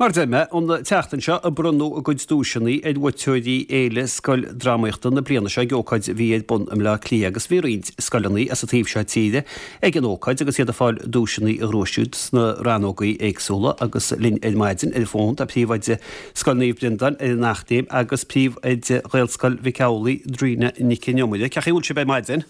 Mar a deir mé, an tseachtain seo a bronnadh a gcuid duaiseanna ar bhuaiteoirí Fhéile Scoildrámaíochta na bliana seo ag ócáid a bhí ar bun i mBleá Cliath agus bhí roinnt scoileanna as an taobh seo tíre ag an ócáid agus iad ag fáil duaiseanna a ghnóthaigh siad sna rannógaí éagsúla agus linn ar maidin ar an bhfón tá Príomhoide Scoil Naomh Breandán ar an Eachléim agus Príomhoide Ghaelscoil Mhic Amhlaigh, Dríona Nic an Iomaire. Cén chaoi a bhfuil sibh ar maidin?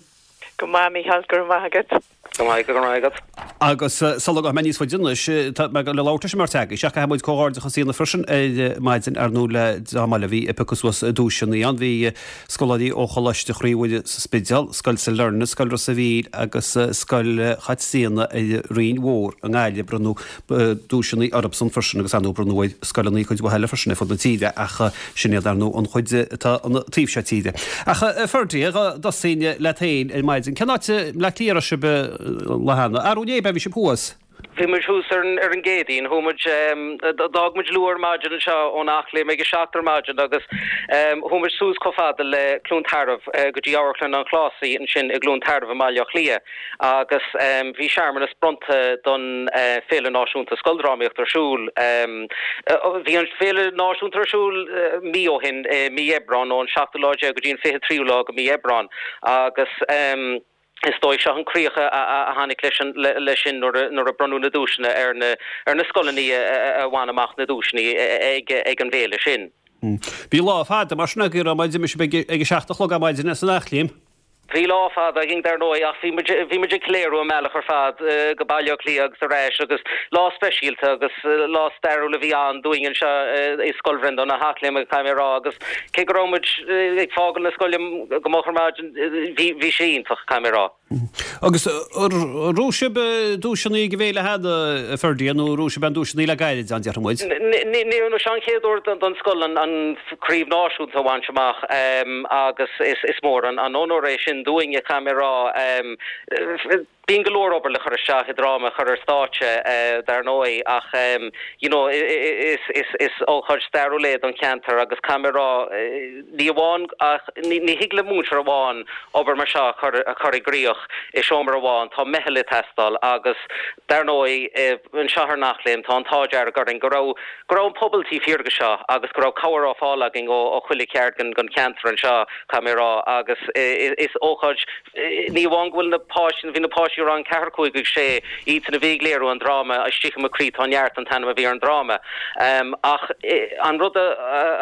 Go maith, Mícheál, go raibh maith agat. Go maith, go raibh maith agat. Agus sula ngabhfaidh mé níos faide anois, tá mé le labhairt leis an mbeirt agaibh, ach caithfidh muid comhghairdeachas a dhéanamh freisin ar maidin, ar ndóigh, le dráma eile a bhí ag piocadh suas duaiseanna ann. Bhí scoláirí ó Choláiste Chroí Mhuire sa Spidéal, Scoil Sailearna, Scoil Ros a' Mhíl agus Scoil Chaitríona ar an Rinn Mhór i nGaillimh. Bronnadh duaiseanna orthusan freisin agus ar ndóigh bronnadh ar scoileanna cuid mhaith eile freisin ar fud na tíre ach sin iad ar ndóigh an chuid atá an taobh seo tíre. Ach a Ferdie, dá dtosóinn leat féin ar maidin, cén áit i mBleá Cliath a raibh sibh an lá cheana? Arú inné, ab ea bhí sibh thuas? Bhí muid thuas ar an ar an gCéadaoin. Chuaigh muid, d'fhág muid luath ar maidin anseo ón Eachléim ag a 7 ar maidin agus chuaigh muid suas chomh fada le Cluain Tarbh go dtí Amharclann an Chlásaigh ansin i gCluain Tarbh i mBaile Átha Cliath. Agus bhí searmanas bronnta don Féile Náisiúnta Scoildrámaíochta ar siúl. Bhí an Féile Náisiúnta ar siúl mí ó shin, i mí Aibreán, ón seachtú lá déag go dtí an 23ú lá de mí Aibreán. Agus is dóigh seo an críoch a tháinig leis sin nuair a bronnadh na duaiseanna ar na ar na scoileanna a bhain amach na duaiseanna ag an bhféile sin. Bhí lá fada mar sin agaibh, raibh, d'imigh sibh ag a seacht a chlog ar maidin as an Eachléim. Bhí lá fada againn dar ndóigh ach bhí muid, bhí muid ag ceiliúradh an bealach ar fad go Baile Átha Cliath agus ar ais agus lá speisialta agus lá stairiúil a bhí ann dúinn anseo i Scoil Bhreandáin na hEachléime caithfidh mé a rá agus cé go raibh muid ag fágáil na scoile go moch ar maidin bhí, bhí sé iontach caithfidh mé a rá. Agus ar ghnóthaigh sibh duaiseanna ag an bhféile cheana, a Ferdie, nó ar ghnóthaigh sibh aon duaiseanna le gairid, an déarfaidh muid? Ní, seo an chéad uair don scoil an chraobh náisiúnta a bhaint amach agus is mór an onóir é sin dúinn, caithfidh mé a rá. Bíonn go leor obair le cur isteach i dráma a chur ar stáitse, dar ndóigh, ach you know is ócáid stairiúil é don cheantar agus caithfidh mé a rá, ní amháin ach ní thig le múinteoir amháin obair mar seo a chur a chur i gcrích i seomra amháin, tá meitheal ag teastáil agus dar ndóigh anseo ar an Eachléim tá an t-ádh dearg orainn go raibh go raibh an pobal taobh thiar de seo agus go raibh cabhair á fáil againn ó ó chuile cheard den den cheantar anseo caithfidh mé a rá agus is ócáid ní amháin go bhfuil na páistí bhí na páistí i rang 4, 5 agus 6 iadsan a bhí ag léiriú an dráma Istigh i mo Chroí Tá Neart an t-ainm a bhí ar an dráma ach an rud a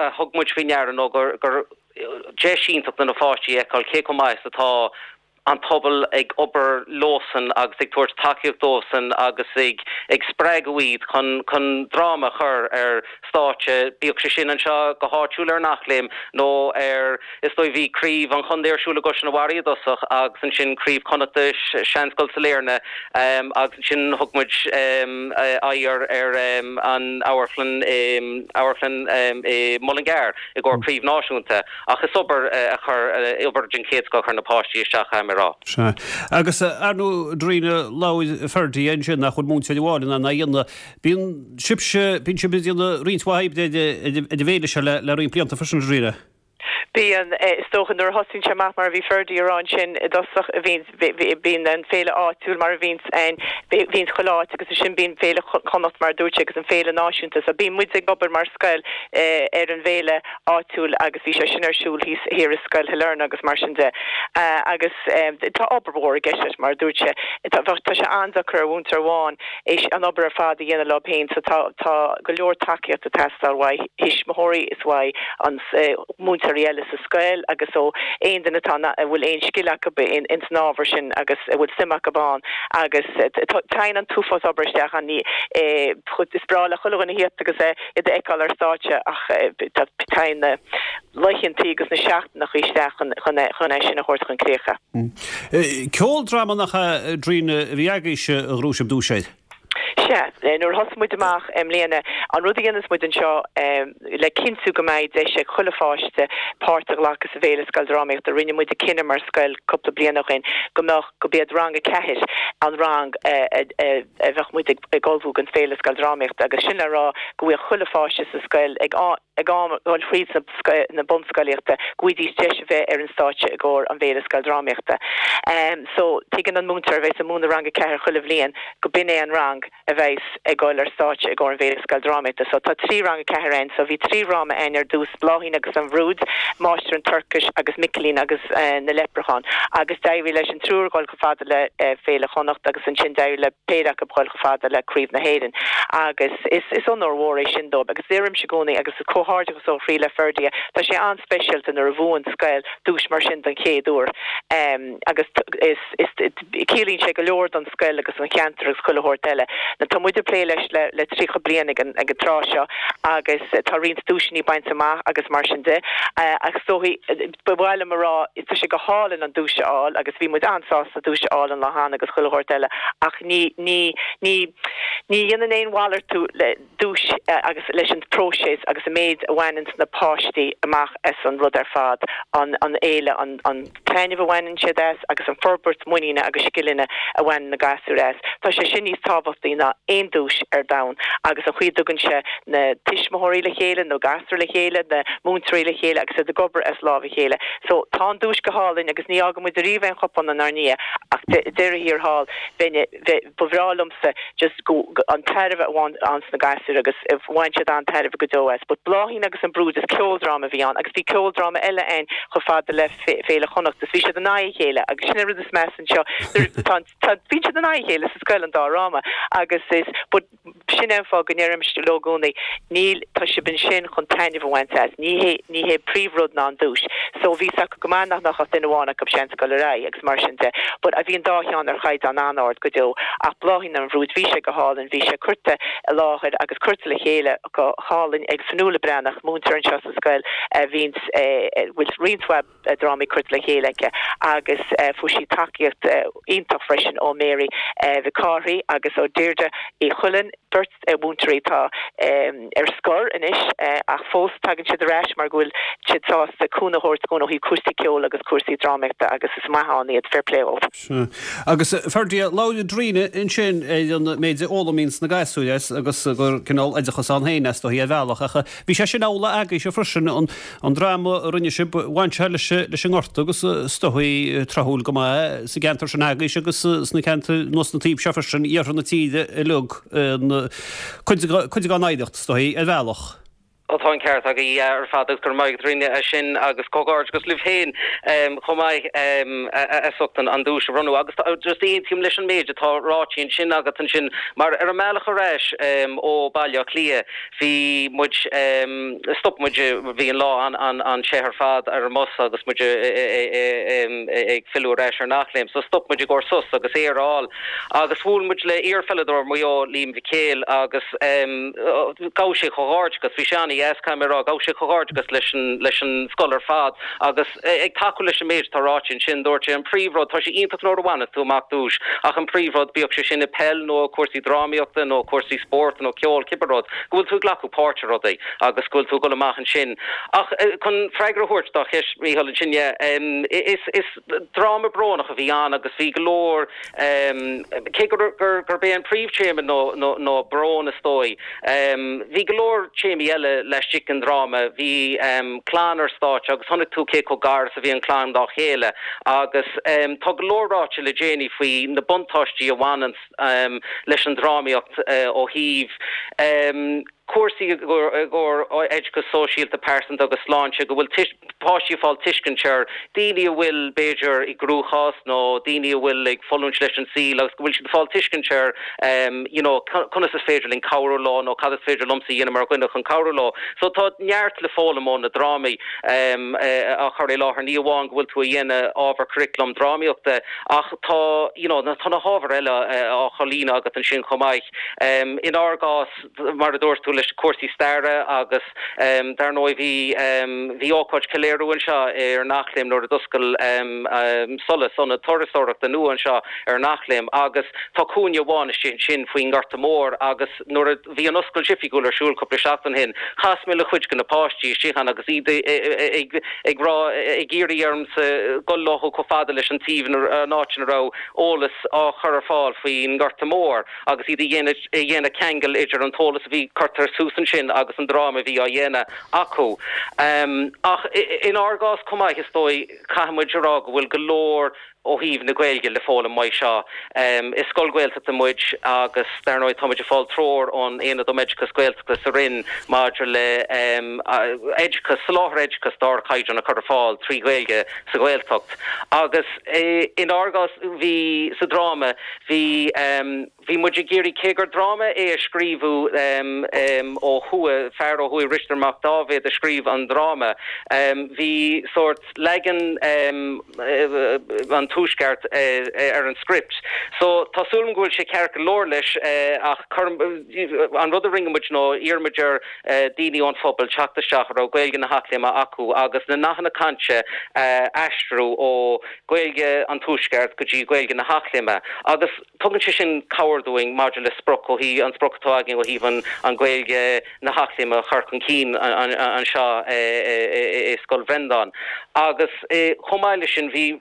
a thug muid faoi ndeara nó gur gur deis iontach do na pháistí a fheiceáil cé chomh maith is atá an pobal ag obair leosan agus ag tabhairt tacaíocht dóibhsean agus ag ag spreagadh iad chun chun dráma a chur ar stáitse, bíodh sé sin anseo go háitiúil ar an Eachléim nó ar, is dóigh bhí craobh an chontae ar siúl i gCois na Mara i dtosach agus ansin craobh Chonnachta, Seanscoil Sailearna agus ansin thug muid aghaidh ar ar an amharclann amharclann i Mullingar. i gcomhair craobh náisiúnta, ach is obair a chur, obair den chéad scoth a chuir na páistí isteach, caithfidh mé a rá. Sea. Agus ar ndóigh, a Dhríona, labhair Ferdie ansin nach bhfuil múinteoir amháin in ann é a dhéanamh. Bíonn sibhse, bíonn sibh ag déanamh roinnt mhaith oibre ar an bhféile seo le roinnt blianta freisin, a Dhríona. Bíonn, is dócha, nuair a thosaíonn sé amach mar a bhí Ferdie a rá ansin i dtosach, bhíonn, bíonn an féile áitiúil mar a bhíonns ann, bhíonns chuile áit agus ansin bíonn Féile Chonnacht mar a dúirt sé agus an féile náisiúnta. So bíonn muid ag obair mar scoil ar an bhféile áitiúil agus bhí sé sin ar siúl thíos thiar i Scoil Shailearna agus mar sin de. Agus tá obair mhór i gceist leis mar a dúirt sé. Tá, tá sé an-deacair ar mhúinteoir amháin é an obair ar fad a dhéanamh leo féin so tá, tá go leor tacaíocht ag teastáil uaidh thuismitheoirí is uaidh an múinteoirí eile sa scoil agus ó aon duine atá a bhfuil aon scil acu ins an ábhar sin agus a bhfuil suim acu ann agus téann an t-uafás obair isteach ann. Ní is breá le chuile dhuine thíocht agus iad a fheiceáil ar stáitse ach téann na laethantaí agus na seachtaineacha isteach chun é sin a thabhairt chun críche. Ceoldráma nach ea, a Dhríona, a bhí agaibhse a ghnóthaigh sibh duais air? Sea, nuair a thosaigh muid amach i mbliana, an rud a dhéanas muid anseo le cinntiú go mbeidh deis ag chuile pháiste páirt a ghlacadh sa bhFéile Scoildrámaíochta, rinne muid an cinneadh mar scoil cúpla bliain ó shin go mbeadh, go b'iad rang a ceathair an rang a bheadh muid ag ullmhú don Féile Scoildrámaíochta agus sin le rá go bhfuil chuile pháiste sa scoil ag. ag am dhul fríd na bunscolaíochta go bhfaighidís deis a bheith ar an stáitse i gcomhair an bhféile scoildrámaíochta. So tuigeann an múinteoir a bheas ag múineadh rang 4 chuile bhliain go b'in é an rang a bheas ag dul ar stáitse i gcomhair an bhféile scoildrámaíochta. So tá 3 rang 4 ann. So bhí 3 dhráma ann ar dtús, Bláithín agus an Bhrúid, Máistir an tSorcais agus Micilín agus na Leipreacháin. Agus d'éirigh leis an triúr dhul chomh fada le Féile Chonnacht agus ansin d'éirigh le péire acu dhul chomh fada le Craobh na hÉireann. Agus is is onóir mhór é sin dóibh. Agus deirimse i gcónaí agus comhghairdeachas ó chroí le Ferdia, tá sé an-speisialta nuair a bhuann scoil duais mar sin don chéad uair. Agus is is Ciallaíonn sé go leor don scoil agus don cheantar agus chuile shórt eile. Now tá muid ag plé leis le le 30 bliain ag an ag an tráth seo agus tá roinnt duaiseanna bainte amach agus mar sin de. Ach is dóichí, ba mhaith liom a rá, tá sé go hálainn an duais a fháil agus bhí muid an-sásta duais a fháil an lá cheana agus chuile shórt eile ach ní ní ní ní dhéanann aon mhalartú le duais agus leis an bpróiseas agus an méid a bhaineanns na páistí amach as an rud ar fad, an fhéile, an taitneamh a bhaineann siad as agus an forbairt muiníne agus scileanna a bhaineann na gasúir as. Tá sé sin níos tábhachtaí ná aon duais ar domhan agus an chaoi a dtugann sé na tuismitheoirí le chéile, na gasúir le chéile, na múinteoirí le chéile agus iad ag obair as lámh a chéile. So tá an duais go hálainn agus ní fhágann muid ariamh aon chupán inár ndiaidh ach deireadh thiar thall bheinn Ba bhreá liomsa just go, an tairbhe a bhain na gasúir agus bhain siad an-tairbhe go deo as. But Bláithín agus an Bhrúid is ceoldráma a bhí ann agus bhí ceoldráma eile ann chomh fada le Féile Chonnacht is bhí siad in aghaidh a chéile agus sin an rud is measa anseo tá, tá, bíonn siad in aghaidh a chéile sa scoil an dá dhráma agus is, but Sin é an fáth go ndeirimse leo i gcónaí, níl, tá sibh ansin chun taitneamh a bhaint as, ní hé, ní hé príomhrud ná an duais. So bhí 's acu go maith nach mbeadh ach duine amháin acu seans ag dul ar aghaidh agus mar sin de. But bhí an dá cheann ar chaighdeán an-ard go deo. Ach Bláithín an Bhrúid, bhí sé go hálainn, bhí sé curtha i láthair agus curtha le chéile go hálainn ag Fionnuala Breathnach, múinteoir anseo sa scoil a bhíonns, a bhfuil roinnt mhaith drámaí curtha le chéile aici agus fuair sí tacaíocht iontach freisin ó Mary Mhic Cárthaigh agus ó Deirdre Uí Chuilinn, beirt mhúinteoirí atá ar scor anois ach fós tagann siad ar ais mar go bhfuil siad sásta cúnamh a thabhairt dúinn ó thaobh cúrsaí ceoil agus cúrsaí drámaíochta agus is maith ann iad, fair play dóibh. Sea. Agus Ferdia, labhair Darina ansin ar an méid a fhoghlaimíonns na gasúir as agus gur cineál oideachas ann féin é is dóichí ar bhealach ach bhí sé sin amhlaidh agaibhse freisin, an An dráma a rinne sibh, bhain sé leis an nGorta agus is dóichí tráthúil go maith sa gceantar sin agaibhse agus sna ceantair anuas an taobh seo freisin, iarthar na tíre uilig, cuid dár n-oidhreacht is dóichí, ar bhealach. Ó tá an ceart agaibh ar fad agus go raibh maith agat Darina as sin agus comhghairdeachas libh féin chomh maith as ucht an duais a bhronnadh agus just aontaím leis an méid atá ráite ansin agat ansin mar ar an mbealach ar ais ó Baile Átha Cliath Bhí muid, stop muid, bhí an lá an-te ar fad ar an mbus agus muid ag filleadh ar ais ar an Eachléim so stop muid i gcomhair sos agus aer a fháil agus bhuail muid le iar-pheileadóir Mhaigh Eo, Liam Mhic Éil agus ghabh sé comhghairdeachas, bhí sé an-dheas caithfidh mé a rá, ghabh sé comhghairdeachas leis an, leis an scoil ar fad agus ag tacú leis an méid atá ráite ansin, dúirt sé an príomhrud, tá sé iontach nuair a bhaineann tú amach duais, ach an príomhrud, bíodh sé sin i peil nó cúrsaí drámaíochta nó cúrsaí spóirt nó ceol, cibé rud, go bhfuil tú ag glacadh páirt i rudaí agus go bhfuil tú ag dul amach ansin. Ach chun freagra a thabhairt dá cheist, Mícheál, ansin, yeah, is, is dráma brónach a bhí ann agus bhí go leor, Cé gurb é an príomhthéama ná brón, is dóigh, bhí go leor téamaí eile laistigh den dráma. Bhí clann ar stáitse agus chonaic tú cé chomh gar is a bhí an chlann dá chéile agus tá go leor ráite le déanaí faoi na buntáistí a bhaineann leis an drámaíocht ó thaobh cúrsaí i gcomhair oideachas sóisialta, pearsanta agus sláinte, go bhfuil páistí ag fáil tuiscint ar daoine a bhfuil, b'fhéidir, i gcruachás nó daoine a bhfuil ag fulaingt leis an saol agus go bhfuil siad ag fáil tuiscint ar you know conas is féidir linn cabhrú leo nó cad is féidir liomsa a dhéanamh mar dhuine chun cabhrú leo. So tá neart le foghlaim ó na drámaí á chur i láthair, ní amháin go bhfuil tú a dhéanamh ábhar curriculum drámaíochta ach tá you know tá na hábhair eile á chomhlíonadh agat ansin chomh maith. Inár gcás, mar a dúirt tú, leis cúrsaí staire agus dar ndóigh bhí bhí ócáid ceiliúradh anseo ar an Eachléim nuair a d'oscail Solas, ionad turasóireachta nua anseo ar an Eachléim agus tá cúinne amháin istigh ansin faoin nGorta Mór agus nuair a bhí an oscailt oifigiúil ar siúl cúpla seachtain ó shin chas mé le cuid de na páistí istigh ann agus iad ag ag rá ag iarraidh ormsa dul leo chomh fada leis an taobh an áit ina raibh eolas á chur ar fáil faoin nGorta Mór. agus iad a dhéanamh ceangal idir an t-eolas a bhí curtha. chur suas ansin agus an dráma a bhí á dhéanamh acu. Ach inár gcás chomh maith, is dóigh, caithfidh muid a rá go bhfuil go leor ó thaobh na Gaeilge le foghlaim uaidh seo. Is scoil Ghaeltachta muid agus dar ndóigh tá muid ag fáil treoir ón Aonad um Oideachas Gaeltachta sa Roinn maidir le oideachas, soláthar oideachais d'ardchaighdeán a chur ar fáil trí Ghaeilge sa Ghaeltacht. Agus inár gcás bhí, sa dráma, bhí, Bhí muid ag iarraidh, cé gur dráma é a scríobhadh ó thuaidh, fear ó thuaidh, Risteard Mac Dáibhéid a scríobh an dráma, bhí sórt leagan an tuaisceart ar an script. So tá súil agam go bhfuil sé ceart go leor leis ach an rud a rinne muid ná d'iarr muid ar daoine ón phobal teacht isteach a raibh Gaeilge na hEachléime acu agus na nathanna cainte a aistriú ó Ghaeilge an tuaisceart go dtí Gaeilge na hEachléime agus Tugann sé sin cabhair dúinn maidir le sprioc ó thaobh, an sprioc atá againn ó thaobh an Ghaeilge na hEachléime a chur chun cinn anseo i Scoil Bhreandáin. Agus chomh maith leis sin bhí,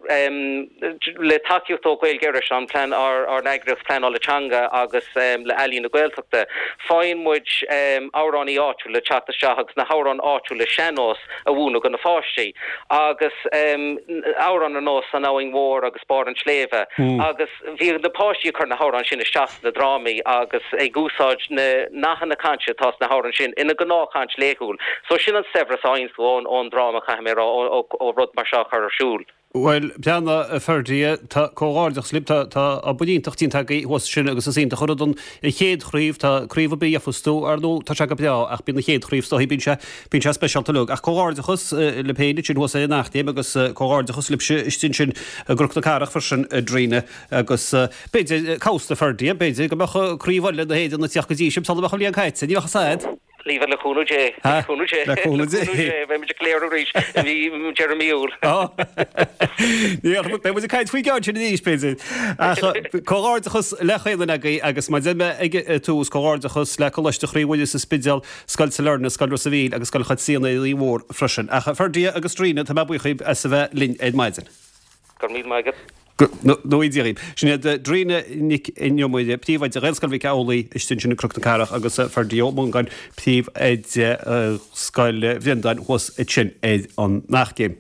le tacaíocht ó Ghaeilge Iorrais, an plean, ár n-eagraíocht pleanála teanga agus le Ealaín na Gaeltachta, faigheann muid amhránaí áitiúil le teacht isteach agus na hamhráin áitiúla sean-nós a mhúineadh do na pháistí. Agus amhráin ar nós An Abhainn Mhór agus Barr an tSléibhe agus. Bhíodh na páistí ag cur na hamhráin sin isteach sna drámaí agus ag úsáid na nathanna cainte atá sna hamhráin sin ina ngnáthchaint laethúil. So sin an saibhreas a fhaigheanns tú ón dráma, caithfidh mé a rá, ó rud mar seo a chur ar siúl. Bhuel, breathnaigh, a Ferdie, tá comhghairdeachas libh, tá, tá obair iontach déanta agaibh thuas ansin agus is iontach an rud an chéad chraobh, tá craobh ar bith a gheofas tú, ar ndóigh, tá sé go breá ach bíonn an chéad chraobh is dóigh, bíonn sé, bíonn sé speisialta uilig. Ach comhghairdeachas libh féin ansin thuas ar an Eachléim agus comhghairdeachas libhse istigh ansin i gCnoc na Cathrach freisin, a Dríona, agus b'fhéidir, cá bhfios, a Ferdie, b'fhéidir go mbeadh craobh eile na hÉireann ag teacht go dtí sibh sula mbeadh an bhliain caite, ní bheadh a fhios a'd. Leave le cúnamh Dé, le cúnamh Dé, le cúnamh Dé, beidh muid ag ceiliúradh arís i mí, deireadh mí Iúil. Ní beidh muid ag caint faoin gceann sin arís, b'fhéidir. Ach comhghairdeachas le chaon duine agaibh agus mar a deir mé ag an tús, comhghairdeachas le Coláiste Chroí Mhuire sa Spidéal, Scoil Sailearna, Scoil Ros a' Mhíl agus Scoil Chaitríona ar an Fhaoi Mhór freisin. Ach a Ferdie agus Dríona, tá mé buíoch dhíbh as a bheith linn ar maidin. Go raibh míle maith agat. Go ngnóthaí Dia dhaoibh. Sin iad Dríona Nic an Iomaire, Príomhoide Ghaelscoil Mhic Amhlaigh istigh ansin i gCnoc na Cathrach agus Ferdie Ó Mongáin, Príomhoide Scoil Bhreandáin thuas ansin ar an Eachléim.